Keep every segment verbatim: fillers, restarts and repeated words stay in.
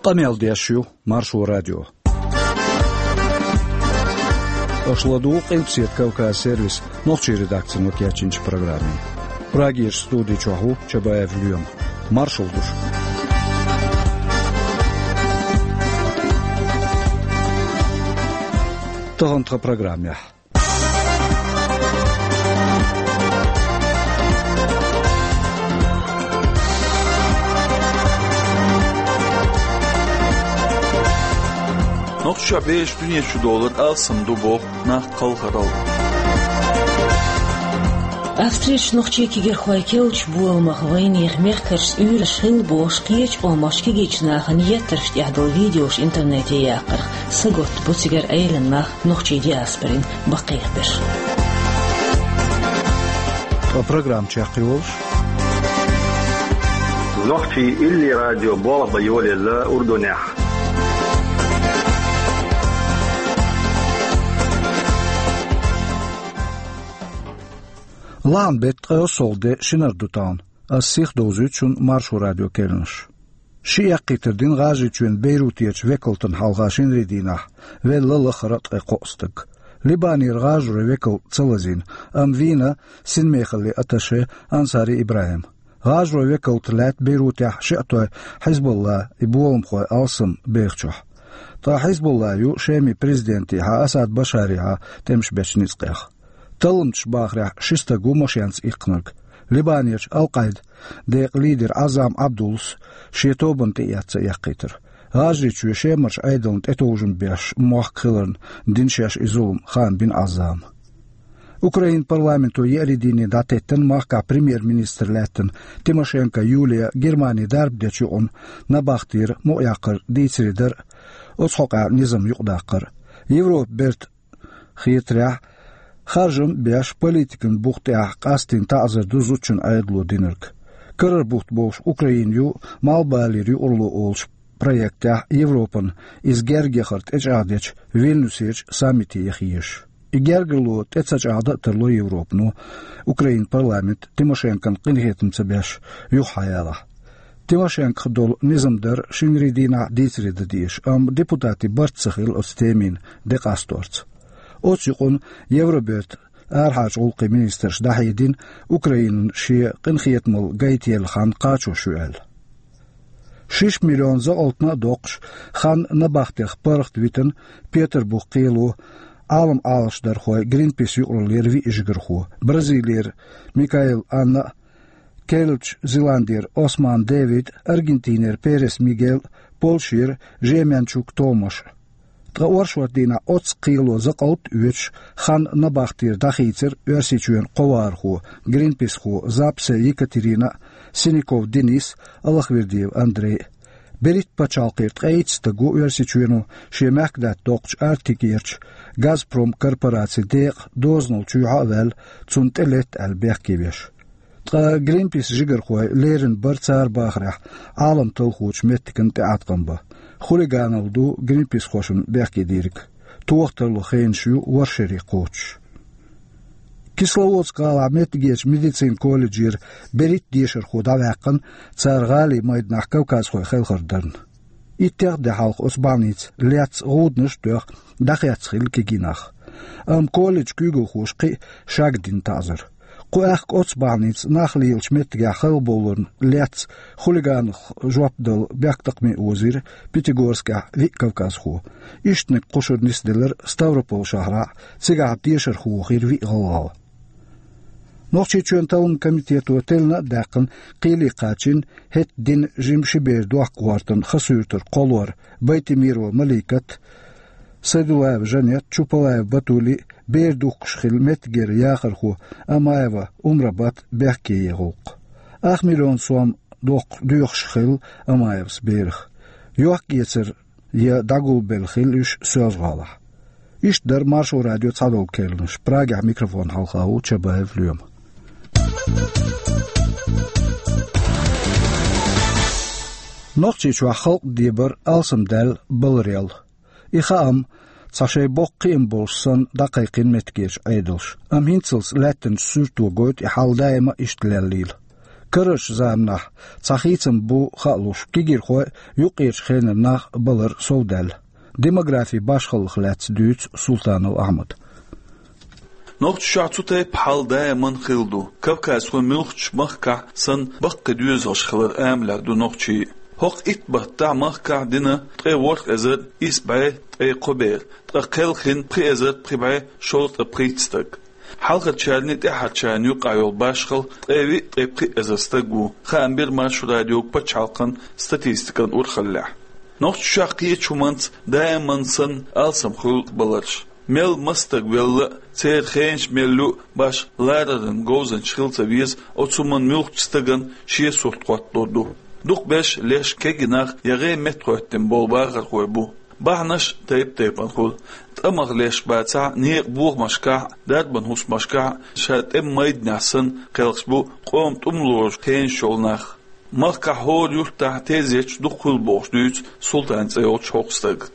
Къамел деш ю Маршо радио. Аша ладугӀу Къилбаседа Кавказ сервисан нохчийн редакцино кечйинчу программе. Прагерчу студи чохь ву Чабаев Лоьма. Маршалла ду шуьга. Тахана тхан программехь. Нохчийчохь бераш дуьне чу довлар алсам ду боху нах кхалхаралла. Австрерчу нохчийн кегийрхойн керлачу боламах вайнехан мехкаршца уьйраш хилла бохуш, кхечу къоман кегийчу нахана еттарш тӀехь долу видеош интернете яккхарх сагатта бу цигара Ӏелин нах нохчийн диаспорин баккхийберш. Ткъа программа чекхйолуш. Нохчийн илли радио болх бан йолаелла Урдунехь. Лахьан беттан ткъе кхоалгӀа де шинара ду тахана. Ас сиха довзуьйту шуна Маршо радион керланаш. Ши эккхийтар дина ГӀажарийчоьнан Бейрутерчу векалтана хьалха шинарин дийнахь, велла лахара а ткъе кхоъ стаг. Либанера ГӀажаройн векалт ца лазийна, амма вийна синмехаллин атташе Ансари ИбрахӀим. ГӀажаройн векалт лаьтта Бейрутехь шиътойн Хьизбулла и боламхой алсам бехачохь. Ткъа Хьизбулла ю Шеман президентехьа Асад Башарехьа тӀемаш бечу ницкъех. Талламчаша бахарехь, ши стаг ву машенца иккхинарг. Либанерчу Ал-Къаидан декъан лидер Ӏаззам Ӏабдуллас шен тобанна тӀеэцна эккхийтар. ГӀажарийчоь Шемарчу Ӏедална тӀетовжам беш мохк хиларна дина шаьш и зулам, хаам бина Ӏаззама. Украинан парламенто еарин дийне дӀатеттина махкахь премьер-министр лаьттина Тимошенко Юлия Германе дарба дечу юкъана набахтера мукъаяккхар дийцаре дар а, оцу хьокъехь низам юкъадаккхар а. Европан бертан хетарехь, харжам а беш, политикан бух тӀехь къастийна таӀзар ду зудчун Ӏедало динарг. Карара бутт болуш Украина ю Малхбалера юкъаралло олучу проектехь Европана иза герга яхар тӀечӀагӀдечу Вильнюсерчу саммите яха езаш. И гергарло тӀе ца чӀагӀдан а тарло Европано, Украинан парламент Тимошенкон къинхетам ца беш юха хьаялахь. Тимошенкох долу низам дар шинарин дийнахь дийцаре дан дезаш, амма депутатийн барт ца хилла оцу темина де къасторца. Оцу юкъана Евробертан арахьарчу гӀуллакхийн министраш дӀахьедина Украинан шен къинхетамалла гайтаелла хан кхачош ю аьлла. Шишша миллион закъалтана а доккхуш, хан набахтех паргӀат витина Петарбух кхело Ӏалам Ӏалашдархой Гринпис юкъараллера виъ жигархо: Бразилера Микаэл Анна а, Керлачу Зеландера Осман Дэвид а, Аргентинера Перес Мигел а, Польшера Жеменчук Томаш а. Ткъа оршот дийнахь оццу кхело закъалт а оьцуш, хан набахтера дӀахийцира Оьрсийчоьнан кхо вахархо, гринписхо Запсе Екатерина а, Синяков Денис а, Аллахвердиев Андрей а. Берриг а пачхьалкхера ткъе итт стаг ву Оьрсийчоьно шен мехкадаьтта доккхучу Арктикерчу Газпром корпорацин декъан дозанал чоьхьа а ваьлла, цунна тӀелетта аьлла бехке веш. Ткъа Гринпис жигархой леррина бара цара бахарехь Ӏалам талхочу меттигна тӀеӀаткъам бан. Хулиганалла ду гринписхошна бехке дийриг. Тоха тарло хенаш ю ворхӀ шерий кхочуш. Кисловодск гӀалахь меттигерчу медицинан колледжера берриг а дешархо дӀаваьккхина, цара гӀалин майданахь кавказхой хелхар дарна. Иттех а де хьалха оцу больница лаьцна гӀуданаш а тоьхна, дӀахецна хилла кегий нах. Амма колледжан куьйгалхоша кхин а шагдина таӀзар. Кху аьхка оццу больницан нах лелачу меттигехь халабовларна лаьцна хулиганех жоп дала бехктакхаме озийра Пятигорскехь виъ кавказхо. Ишттаниг кхушара нисделира Ставрополь шахьарахь, цигахь дешархо вахийра виъ гӀалгӀа. Нохчийчоьнан талламан комитето теллина а даьккхина, кхеле кхачийна хӀетахь дина жима ши бер дохка гӀортан Хасуьртара кхоллар Байтемирова Маликат а, Сайдуллаева Жанет а, Чупалаева Батули а, бер духкуш хилла меттигера яхархо Амаева Умрабат а бехке ен гӀуллакх. Ах миллион сом доккхуш доьхуш хилла Амаевас берах. Йохк-эцар я дӀагулбелла хилла уьш Соьлжа-ГӀалахь. Иштта дара Маршо радион цхьадолу керланаш. Прагехь микрофон хьалха ву Чабаев Лоьма. Нохчийчохь халкъан дебар алсамдаьлла баларел. И хаам цхьа шайн боккха кхиам болуш санна дӀакхайкхина меттигерчу Ӏедалша, амма хӀинцалц лаьттанчу суьрто гойту и хьал даима иштта леллийла. Карарчу заманахь цхьа хийцам бу хаалуш кегийрхой а, юккъерчу хенара нах а балар совдаьлла. Демографин башхаллех лаьцна дуьйцу Султанов Ахьмада. Нохчийчохь цу тайпа хьал даиман хилла ду. Кавказхой муьлххачу махкахь санна баккхий доьзалш хилар амалехь ду нохчийн. ХӀокху итт баттахь махкахь дина ткъе ворхӀ эзар исс бӀе ткъе кхо бер, ткъа кхелхина пхи эзар пхи бӀе шовзткъе пхийтта стаг. Хьалхарчарний тӀаьхьарчарний юккъехь йолу башхалла ткъе виъ, ткъе пхи эзар стаг ву, хаам бира Маршо радиога пачхьалкхан статистикан урхаллехь. Нохчийчохь кхечу хӀуманца даиман санна алсам хуьлу баларш. Мел маса стаг велла а, церан хенаш мел ю а башха лараран говзанча хила ца веза, оцу хӀуманна муьлххачу стагана шен сурт хӀоттор ду. Дукхахберш леш кегий нах я гӀен меттахӀоьттина болу бахархой бу. Бахьанаш тайп-тайпана хуьлу. ТӀамах леш бацахь а, некъан бохамашкахь а, дарбан хӀусамашкахь а, ша тӀеман майданехь санна кхелхаш бу къоман тӀемалозу хенаш йолу нах. Махкахь хӀора юьртахь тезеташ дукха хуьлу бохуш дуьйцу Султан цӀе йолчу хӀокху стага.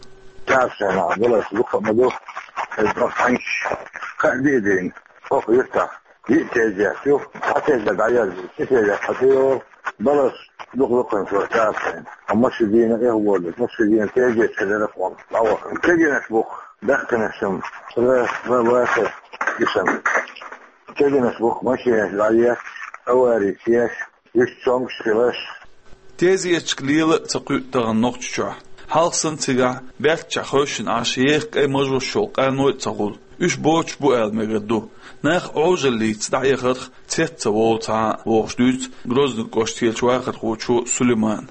Царна баларш дукха ма ду, иза ма хьаьнгаш, кхаа-диъ дийна. ХӀокху юьртахь диъ тезет ю, цхьа тезет дӀаязйо, ши тезет хьа тӀе йолу, баларш дукха-дукха ца царна. Амма ши дийна эхь волу, амма ши дийна тезет ца дара кхунна. ДӀавахана кегийнаш бу-кх, баьхкинаш-м, ра-, ра-, ваха гишан. Кегийнаш бу-кх машинаш дӀаехкаш, аварий еш, уьш цомгуш хиларш. Тезеташка лела а ца кхуьу тахана Нохчийчохь. Хьалха санна цигахь баьрччехь хевшина Ӏаш еха кӀайн мажош йолу къаной а ца хуьлу. Уьш боцуш бу аьлла мегар ду. Нах Ӏожаллица дӀаэхарх цец ца волу цхьа а, бохуш дуьйцу Грозный кӀоштарчу вахархочо Сулеймана.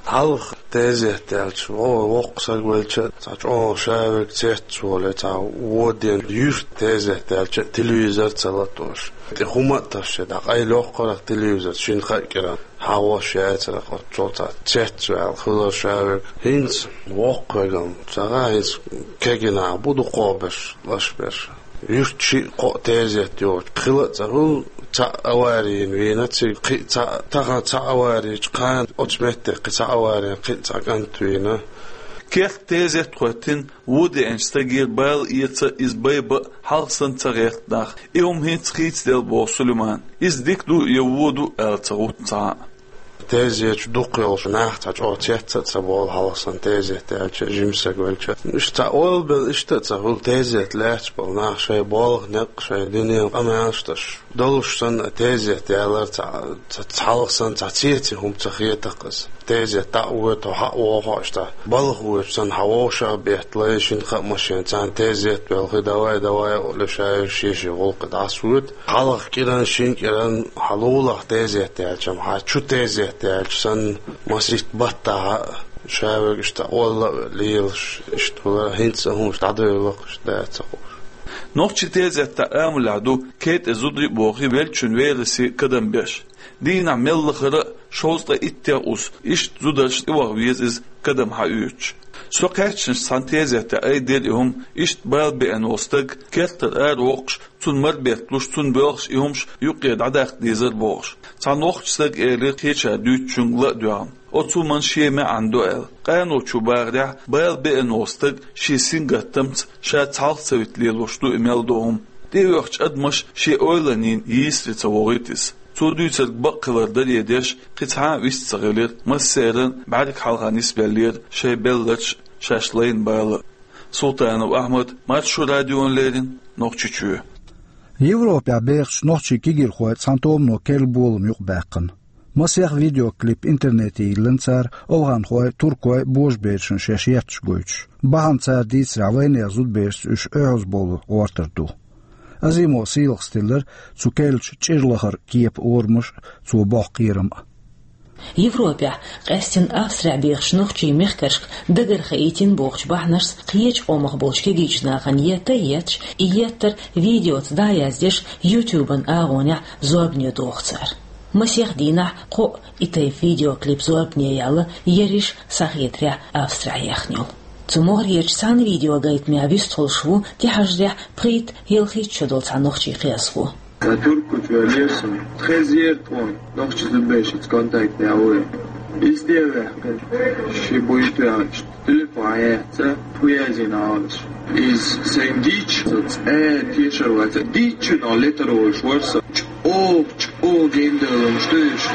Хьалха тезет яьлча, вон воккха стаг велча а, цхьа чӀогӀа шаверг цец волу, цхьа вон ден юьртахь тезет яьлча а телевизор ца латош. ТӀе хӀума а тасча, дӀа къайлаяккхарх телевизор, шина-кхаа кӀиранна хьагӀош яцара, оццул цхьа цец ваьлла хилар шаверг. ХӀинца воккхавега-м ца гӀа, хӀинца кегий нах бу дукхахберш, лаш берш. Юьртахь шиъ-кхоъ тезет йоцуш хила а ца хуьлу, цхьаъ аварийна вийна цига, кхин цхьаъ, тахана цхьа аварийчу кхана оцу метте кхин цхьа аварийна кхин цхьа кӀант вийна. Керта тезет хӀоьттина, вон деанчу стагера бала эца а, иза байба а хьалха санна ца гӀерта нах. И хӀума хӀинца хийцаделла, боху Сулеймана. Иза дика ду я вон ду аьлла ца гӀутту цхьа а. Тезеташ дукха йолуш нах цхьа чӀогӀа цец а ца болу хьалха санна тезет яьлча, жима стаг велча. Уьш цхьа ойла белла иштта а ца хуьлу, тезет лаьцна болу нах шайн болх, некъ, шайн дуьненан къамелаш деш долуш санна, тезет ялар цхьа, цхьа, цхьа хьалха санна цхьа цецийн хӀума ца хета-кх иза. Тезет дӀа а воьду, хьо хьа а вогӀу, хьо иштта балха воьдуш санна, хьан вовшах беттале, шина-кхаа машен царна тезет белхи, давай, давай, олуш, шаьш шен-шен гӀуллакхе дӀасавоьду. Хьалха кӀиранна, шина кӀиранна хьан лулахь тезет яьлча-м, хьан чу тезет яьлча санна, масийтта баттахь а шаверг иштта олла а лелаш, иштта хилар, хӀинца а хӀумаш дӀадевлла-кх, иштта дац а хууш. Нохчийн тезетта амалехь ду кхетӀе зударий а бохий, веллачун верасе кадам беш. Дийнахь мел лахара а шовзткъе иттех ус, иштта зударшна тӀеваха веза иза кадам хьаоьцуш. Со кхаьчначу цхьана тезетехь айдира и хӀума, иштта бала беана волу стаг кертара аравоккхуш, цунна марбетталуш, цунна боьлхуш и хӀумаш юккъера дӀадаккха дезара бохуш. Цхьана воккхачу стага элира кхечара дуьйцучуьнга ла а доьгӀна, оцу хӀуманна шен маьӀна ду аьлла. Къаночо бахарехь, бала беана волу стаг шен сингаттамца ша цхьалха ца вита лелош ду и мел долу хӀума. ТӀеоьхучу адамаша шен ойланийн йийсаре ца вохуьйту иза. Цо дуьйцург бакъ хилар даре деш, кхин цхьа а вист ца хилира, массеран а бӀаьрг хьалха нисбеллера шайн белларш а, шаьш лайна бала а. Султанов Ахьмад, Маршо радиона леррина, Нохчийчоь. Европехь бехачу нохчийн кегийрхой цхьана томано керла болам юкъабаьккхина. Масех видеоклип интернете йиллина цара, овхӀанхой, туркой божаберашна шаьш етташ гойтуш. Бахьана цара дийцарехь, вайнехан зудаберашца уьш оьгӀазбовла гӀортар ду. Азимова Сийлахас тиллира цу керлачу чӀир лахара кепан орамаш а, цо боккху кхерам а. Европехь, къаьстина Австрехь бехачу нохчийн мехкаршка дагара хаийтина бохучу бахьанашца кхечу къомах болчу кегийчу нахана етта а етташ, и еттар видеоца дӀа а яздеш, YouTube-ан агӀонехь зорбане доху цара. Масех дийнахь кхоъ и тайпа видеоклип зорбане яьлла, ерриш, схьахетарехь, Австрехь яьхна йолу. Цу могӀарерчу цхьана видеогайтамехь вистхуьлуш ву тӀехьажарехь пхийтта, ялхитта шо долу цхьа нохчийн кхиазхо. Сан туркойчу ваьллера со. Тхезара тхуна нохчийн зудаберашца контакт ян вай. Иза тӀе а ваьккхина, ши буй тоьхча, телефон яц, тхо язйина Ӏалаш. Иза сайн дийцича, со цӀа тешар вац. Дийцича, но летар волуш вара со. ЧӀогӀа, чӀогӀа гендаланаш ду уьш.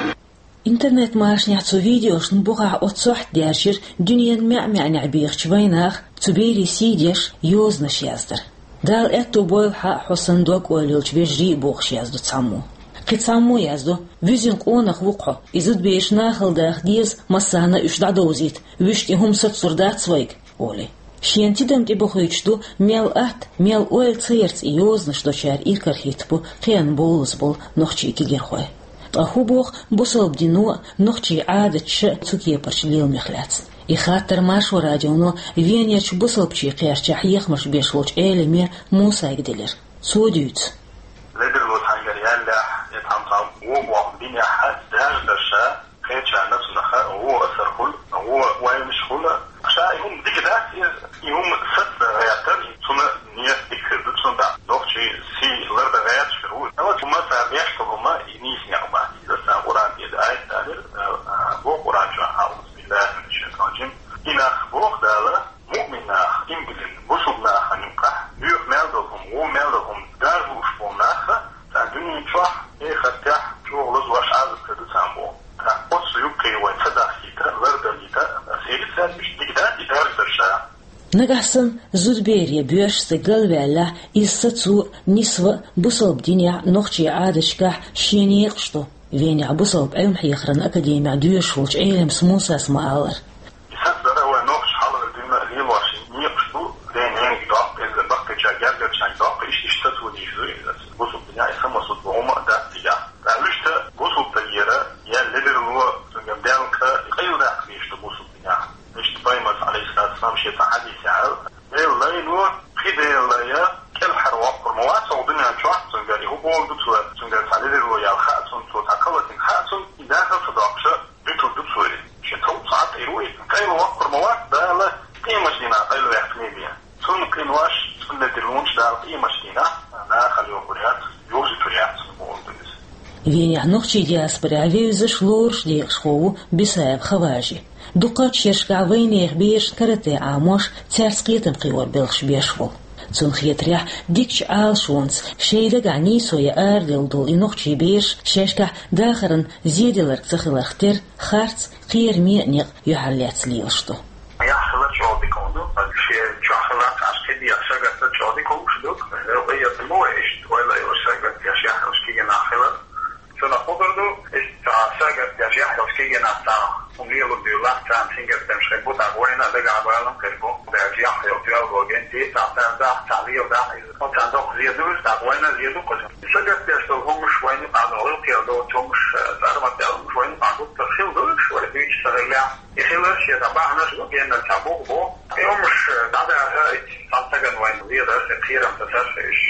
Интернет-машанехь цу видеошна бухахь оццу сохьта даьржира дуьненан маьӀ-маьӀнехь бехачу вайнаха цу берийн сий деш йозанаш яздар. Дала аьтту бойла хьан хьо санна дог-ойла йолчу вежарий а бохуш яздо цхьаммо. Кхин цхьаммо яздо: «Вуьззина къонах ву-кх хьо, и зудабераш нахала даха деза, массарна а уьш дӀадовзийта, вуьшта и хӀума сацалур дац вайга», олий. Шена тидам тӀебохуьйтуш ду, мел атта, мел ойла ца ярца и йозанаш дочара иракарахӀитта бу кхиъна бовлаза болу нохчийн кегийрхой. Ткъа хӀун боху бусалба дино а, нохчийн Ӏадаташа а цу кепарчу леламех лаьцна? И хаттар Маршо радионо Венерчу бусалбачийн кхерчехь хьехамаш беш волчу Ӏеламе Мусайга делира. Цо дуьйцу. Ледарло цхьаьнгара яьллехь, я тхьамсал вон боху динехь хьаьца даьржа дара ша, кхечарна цунах гӀо асар хуьлу, гӀо ойнаш хуьлу. Ша и хӀума дика дац иза, и хӀума саца гӀертар, цунна нийса дика хир ду цунна тӀаккха. Нохчийн сий лардан гӀерташ хир ву. Ала хӀума цара беш долу хӀума, и нийса некъ бац. Иза сан Къуръан тӀера аят далира, а, а, боху Къуръан чохь, аӀузу биллахи минаш шайтанир раджим. И нах боху Дала, муъмин нах, иман диллина, бусалба нахана юккъехь, боьха мел долу хӀума, вон мел долу хӀума даржа лууш болу нах, царна дуьнен чохь, эхартехь чӀогӀа лазош Ӏазап хир ду царна боху. ТӀаккха оццу юккъе вай ца дахкийта, лардалийта, ас хӀинца аьлла, уьш дика дац и даржа дара ша. Нагахь санна зудабере боьрша стаг галваьллехь, иза сацо а, нисво а бусалба динехь а, нохчийн Ӏадаташкахь шен некъаш ду. Венехь бусалба Ӏилма-хьехаран академехь доьшуш волчу Ӏелимас Мусас ма-аллара. И сацдар а вай нохчаша хьалха дуьйна а лелош некъаш ду, ден-ненга доккху, иза баккхийчарна, гергарчарна доккху, иштта, иштта сацо дийр ду иза. Бусалба динехь и самосуд боху хӀума а дац цигахь. Ткъа вуьшта бусалба стагера, я ледарло, цуьнгара даьлла къайладаккха дийш ду бусалба динехь. Иштта Пайхамарс, Ӏалайхиссалату вассалам, шен цхьа хьадисехь аьлла: «Делан лайно, кхин Делан лай, кӀелхьарвоккхур ма вац хӀокху дуьнен чохь, цуьнгара и хӀун бохург ду цо, цуьнгара цхьа ледарло яьлла хаьа цунна, цо цхьа кхалатинг хаьа цунна, и дахар ца доккхуш, дуьтур ду цо и. Шен товш цхьа а тӀе ву и, къайлавоккхур ма вац, Дала къемат дийнахь къайлаваьккхина бен. Цунна кхин ваша, цунна ледарлонаш Дала къемат дийнахь нахала йохур яц, йовзуьйтур яц», бохург ду иза. Венехь нохчийн диаспорехь вевзаш, лоруш декъашхо ву Бисаев Хаважи. Дукхачу шерашкахь вайнехан берашна карате Ӏамош, цаьрца кхетам кхиор белхаш беш волу. Цунна хетарехь, дикачу Ӏалашонца шайн дагахь нийсо ян араделла долу и нохчийн бераш шаьшкахь дахаран зеделларг ца хиларх тера харц, кхераме а некъ юьхьарлаьцна лелаш ду. Яхь хилар чӀогӀа дика хӀума ду, шен чохь хиларх аша кхидех сагатта чӀогӀа дика хӀумаш ду. Хьекъа яц мо иштта ойла а йолуш сагатта яхь йолуш кегий нах хилар. Цунах хӀун ду, иштта сагатта яхь йолуш кегий нах цхьа хӀума лело дуьйлахь, царна сингаттамаш хир бу, тӀаккха вайна а дагахь балам хир бу. Дерриг яхь йолу тоьлла генти, цхьа цара дахь, цхьа лела дахь иза. Оццул доккха зе ду иза, тӀаккха вайна а зе ду кхуза. Сагатта деш долу хӀумаш вайна юкъахь, гӀиллакхера доцу хӀумаш, цӀармат аьлла хӀумаш вайна юкъахь гуттар хилла ду уьш, вай дуьйцуш ца хиллехь. И хилар шен цхьа бахьанаш ду, геннара цхьа бух бу. И хӀумаш дӀадаха, цхьана стагана вайна леларх, кхерам тасарх, уьш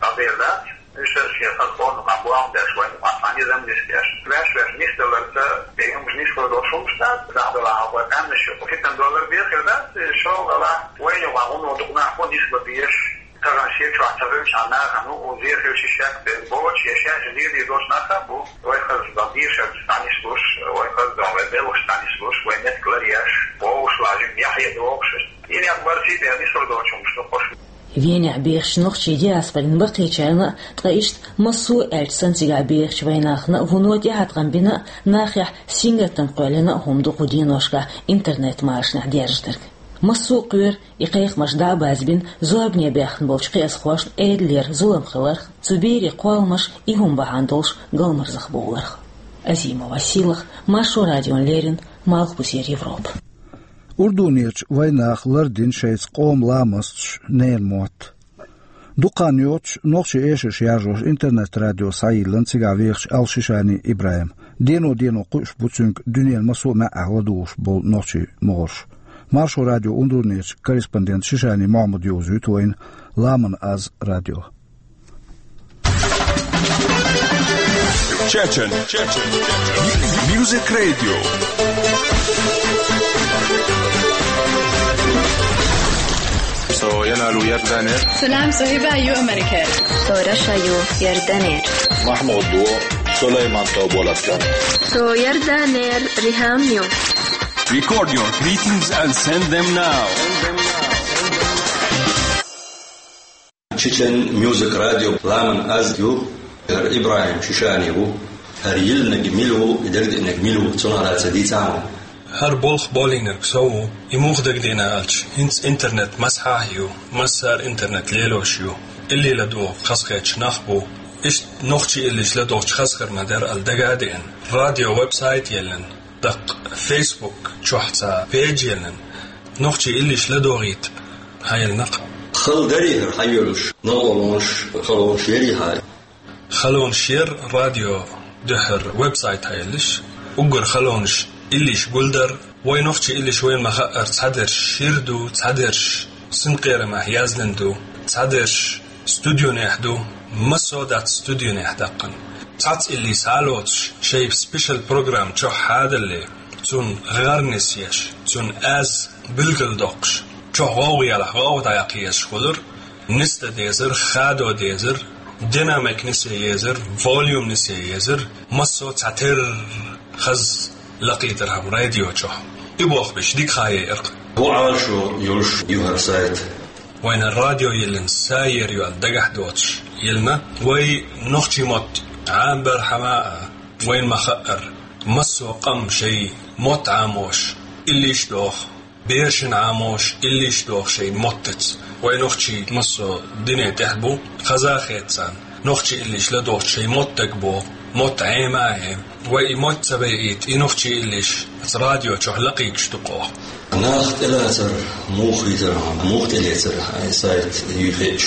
дӀадер дац. Уьш шен хаза къонахий бохам беш, вайна юкъахь цхьа низам нисдеш. Ваьш-ваьш нисдаларца, и хӀумаш нислур долуш хӀумаш дац, дӀадала хьалха къаьмнаш ю. ХӀитан доллар бен хир дац, шолгӀа вайна юкъахь хӀун ду, дукха нах бу нислур дезаш. Тахана шен чохь ца хилча нахана, укхун зе хилча шек бен боцуш, я шаьш зе дийр долуш нах а бу, вай хаза дан дийр шаьш дӀанислуш, вай хаза дан вай белхаш дӀанислуш, вай меттиг ларъеш, вовшашлахь жимма яхье дохуш. И некъ барсий бен нислур доцуш хӀумаш ду хӀорш. Венехь бехачу нохчийн диаспорин баккхийчарна а, ткъа иштта массо а аьлча санна цигахь бехачу вайнахана а вуно тӀеӀаткъам бина а, нахехь сингаттам кхоьллина а хӀума ду кху деношкахь интернет-машанехь дерзадерг. Массо а кхоьру и кхайкхамаш дӀа а базбина, зорбане баьхна болчу кхиазхошна Ӏедалера зулам хиларх, цу берийн кхолламаш и хӀума бахьана долуш галмарзахбовларх. Азимова Сийлаха, Маршо радиона леррина, Малхбузера Европа. Урдунерчу вайнаха лардина шайца къоман ламасташ ненан мотт. Дукха хан йоццуш, нохчийн эшарш яржош интернет-радио схьайиллина цигахь вехачу Ал-Шишани ИбрахӀима. Дено-дено кхуьуш бу цуьнга дуьненан массо а маьӀӀехь ладугӀуш болу нохчийн могӀарш. Маршо радион Урдунерчу корреспондента Шишани Мохьмада йовзуьйту вайна «Ламан аз» радио. Чечен. Чечен. Music Radio. Со Ялалу Ярданер. Салам, со Хиба ю Америка. Со Раша ю Ярданер. Махмуд ду Сулейман Тоболатган. Со Ярданер Рихам ю. Record your greetings and send them now. Чечен Мьюзик Радио, «Ламан аз» ю, ИбрахӀим Шишани ву. ХӀара йиллинарг мила ву, и дагадеанарг мила ву, цунах лаьца дийцахьа. ХӀара болх болийнарг со ву, и муха дагадеана аьлча, хӀинца интернет массахьа а ю, массара интернет лелош ю. Илли ладувгӀа хазахеташ нах бу. Иштта нохчий иллиш ладувгӀача хазахар ма дара аьлла дага а деана. Радио веб-сайт еллина, даккха Facebook чохь цхьа пейдж еллина. Нохчий иллиш ладогӀийта хьаелла нах. Хала дарий хӀара хьайолуш, новкъарлонаш, халонаш ярий хьа? Халонаш яр радио дуьхьара веб-сайт хьаеллаш. Уггар халонаш иллиш гулдар. Вай нохчий иллиш вайна ма-хаъара цхьадерш шира ду, цхьадерш синкъерамехь яздина ду, цхьадерш студионехь ду, массо а дац студионехь даккхана. Цхьацца илли схьалоцуш, шайн спешал программа чохь хьадалле, цунна гӀар нисъеш, цунна аз билгалдоккхуш, чохь гӀовгӀа ялахь гӀовгӀа дӀаяккха езаш хуьлура, нисдан дезар, хадо дезар, динамик нисе езар, волюм нисе езар, массо а цхьатерра хаза лакхийтар хӀама радио чохь. И болх беш дика хьаеара. ХӀун Ӏалашо йолуш ю хӀара сайт? Вайна радио йиллина са ер ю аьлла дагахь доцуш йиллина. Вай нохчий мотт Ӏамбар хьама а, вайна ма-хаъара, массо а къам шайн мотт Ӏамош, иллиш доху, берашна Ӏамош, иллиш доху шайн моттаца. Вай нохчий массо а дуьне тӀехь бу, хаза а хета царна. Нохчий иллиш ладохучу шайн мотт дагабо, мотт Ӏема а Ӏема. Вай и мотт ца байийта, и нохчий иллиш аса радио чохь лакхийтуш ду-кх оха. Нах тӀелацар муха хийтар хьуна, муха тӀелецар хьан и сайт юй хеташ?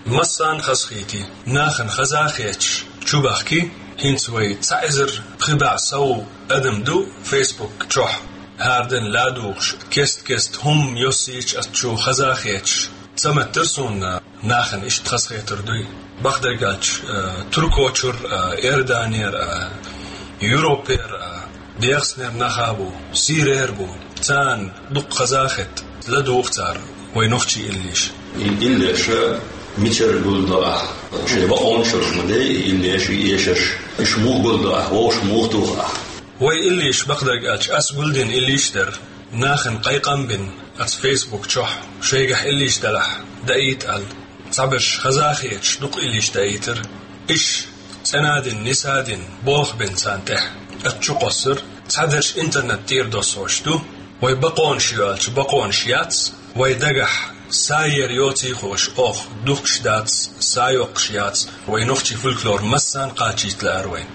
Массарна хазахийти, нахана хаза а хеташ, чу бахки, хӀинца вай цхьа эзар пхи бӀе сов адам ду Facebook чохь, хӀара ден ладугӀуш, кест-кест хӀумма йоссийча ас чу хаза а хеташ, ца меттара суна нахана иштта хазахетар дуй. Бакъдерг аьлча, э, Туркочура, э, Иорданера, э, Европера, э, ДегӀастанера нах а бу, Сирера бу. Царна дукха хаза а хета, ладугӀу цара вай нохчий иллиш. И иллеш мичара гулдо ахь? Шайн бакъонаш ма дий и иллеш, и эшарш. Уьш муха гулдо ахь, вовшах муха туху ахь? Вай иллиш, бакъдерг аьлча, ас гулдина иллиш дара. Нахана кхайкхам бина, аса Facebook чохь, шайгахь иллиш делахь, даийта аьлла. Цхьаберш хаза а хеташ, дукха иллиш даийтара. Иш цӀена а дина, ниса а дина, болх бина царна тӀехь. Ас чу кхоссар, цхьадерш интернет тӀера доссош ду. Вай бакъонаш ю аьлча, бакъонаш яц. Вай дагахь са ер йоций хууш, оха духкуш дац, са йоккхуш яц. Вай нохчий фольклор массарна кхачийта лаьара вайна.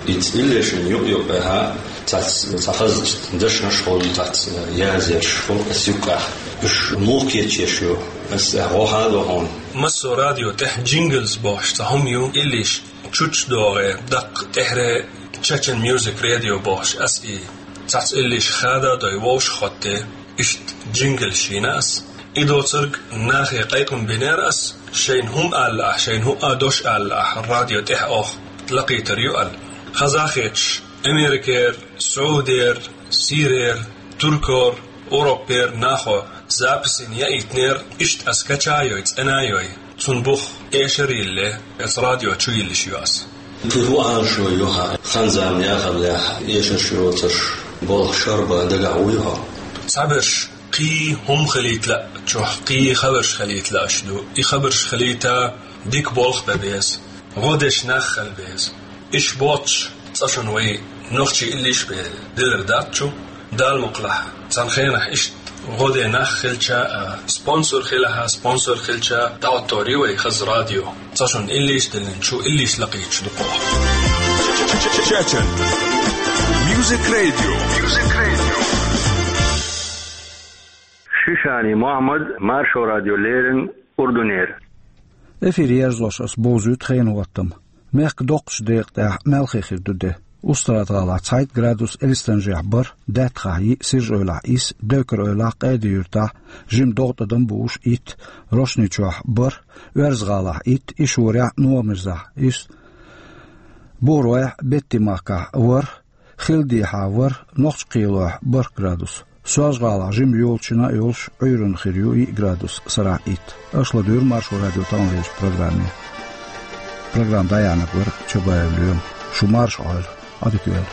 Ица иллешна юкъ-юкъехь цхьацца, цхьа хазачу дешнаш хуьлу, цхьацца язъеш хуьлу аса юккъехь. Уьш муха кечъеш ю? Аса гӀо хьадо хьуна. Массо а радио тӀехь джинглс бохуш цхьа хӀума ю, иллиш чучча догӀе, даккха тӀехьре Chechen Music Radio бохуш аса и цхьацца иллиш хада а дой вовшах хоттаде, иштта джинглс йина аса. И доцург нахе кхайкхам бинера аса, шайна хӀума ала лаахь, шайна хӀуъа дош ала лаахь, радио тӀехь оха лакхийтар ю аьлла. Хаза а хеташ, Америкера, Саудера, Сирера, Туркора, Европера нахо записина яийтинера, иштта ас кача а йой, цӀена а йой, цунна бух эшар а йилле, аса радио чу йиллиш ю аса. Кхин хӀун Ӏалашо ю хьан, хан-зама яхаллехь, эшарш йоцурш, болх шарбан дагахь вуй хьо? Цхьаберш кхин хӀума хилийта лаьа чохь, кхин хабарш хилийта лаьаш ду. И хабарш хилийта дика болх бан беза, гӀо деш нах хила беза. Иш боцуш, цкъа шуна вай нохчий иллиш бен дилар дац чу, Дала мукъалахь, цхьана хенахь иштта гӀо ден нах хилча а, спонсор хилахь а, спонсор хилча а, дӀахӀоттор ю вай хаза радио. Цкъа шуна иллиш диллина чу иллиш лакхийтуш ду-кх оха. Чечен Music Radio. Шишани Мохьмад, Маршо радио леррина Урдунера. Эфир ерзош ас бовзуьйту хенан хӀоттам. Мехкан доккхачу декъа тӀехь мелхе хир ду де. Устрада-гӀалахь цхьайтта градус, Элистанжехь бархӀ, Даьттахахь йиъ, Сиржа-Эвлахь исс, Дойкар-Эвлахь, Къеди-Юьртахь жима догӀу тӀадам бууш итт, Рошни-Чохь бархӀ, Оьрза-ГӀалахь итт, Ишорехь, Новомирзахь исс, Бухаройхь, Беттимахкахь ворхӀ, Хилдехьа ворхӀ, Нохч-Кхелойхь бархӀ градус. Соьлжа-ГӀалахь жима йолчунна а йолуш, Ӏуьйранна хир ю йиъ градус, сарахь итт. Аша ладуьйгӀира Маршо радион тӀаьхьалерчу программе. Программа дӀаяьхьнарг вара Чабаев Лоьма. Шу марша Ӏойла, Ӏадика йойла.